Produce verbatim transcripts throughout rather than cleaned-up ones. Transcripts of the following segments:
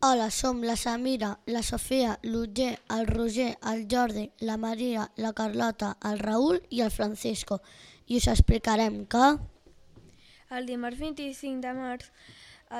Hola, som la Samira, la Sofia, l'Otger, el Roger, el Jordi, la Maria, la Carlota, el Raül i el Francisco. I us explicarem que... El dimarts vint-i-cinc de març,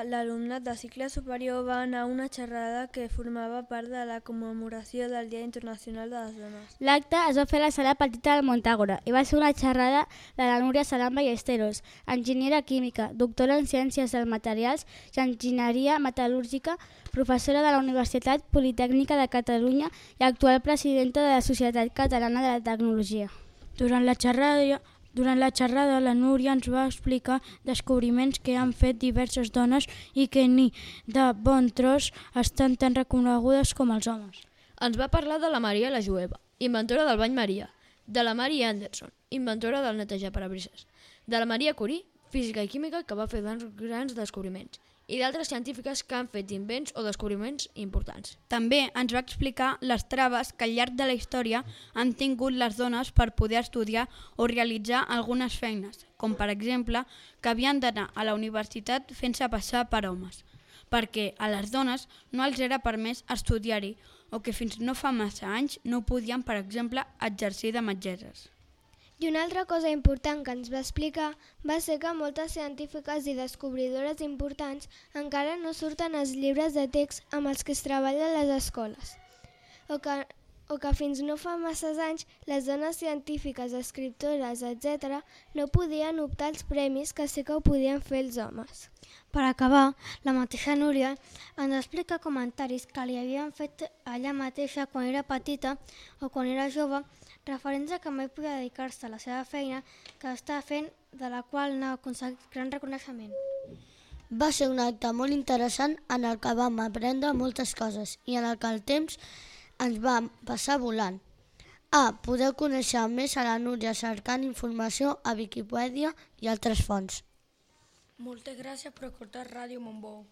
l'alumnat de cicle superior va anar a una xerrada que formava part de la commemoració del Dia Internacional de les Dones. L'acte es va fer a la sala petita del Montàgora i va ser una xerrada de la Núria Salam Ballesteros, enginyera química, doctora en Ciències dels Materials i Enginyeria Metal·lúrgica, professora de la Universitat Politècnica de Catalunya i actual presidenta de la Societat Catalana de la Tecnologia. Durant la xerrada, Durant la xerrada, la Núria ens va explicar descobriments que han fet diverses dones i que ni de bon tros estan tan reconegudes com els homes. Ens va parlar de la Maria la Jueva, inventora del bany Maria, de la Mary Anderson, inventora del netejar parabrises, de la Maria Curie, física i química que va fer grans descobriments, i d'altres científiques que han fet invents o descobriments importants. També ens va explicar les traves que al llarg de la història han tingut les dones per poder estudiar o realitzar algunes feines, com per exemple que havien d'anar a la universitat fent-se passar per homes, perquè a les dones no els era permès estudiar-hi o que fins no fa massa anys no podien, per exemple, exercir de metgesses. I una altra cosa important que ens va explicar va ser que moltes científiques i descobridores importants encara no surten als llibres de text amb els que es treballa a les escoles, o que, o que fins no fa masses anys les dones científiques, escriptores, etcètera no podien optar als premis que sí que ho podien fer els homes. Per acabar, la mateixa Núria ens explica comentaris que li havien fet ella mateixa quan era petita o quan era jove, referents a que mai podia dedicar-se a la seva feina que estava fent, de la qual n'ha aconseguit gran reconeixement. Va ser un acte molt interessant en el que vam aprendre moltes coses i en el que el temps ens va passar volant. Ah, podeu conèixer més a la Núria cercant informació a Viquipèdia i altres fonts. Moltes gràcies per escoltar Ràdio Montbou.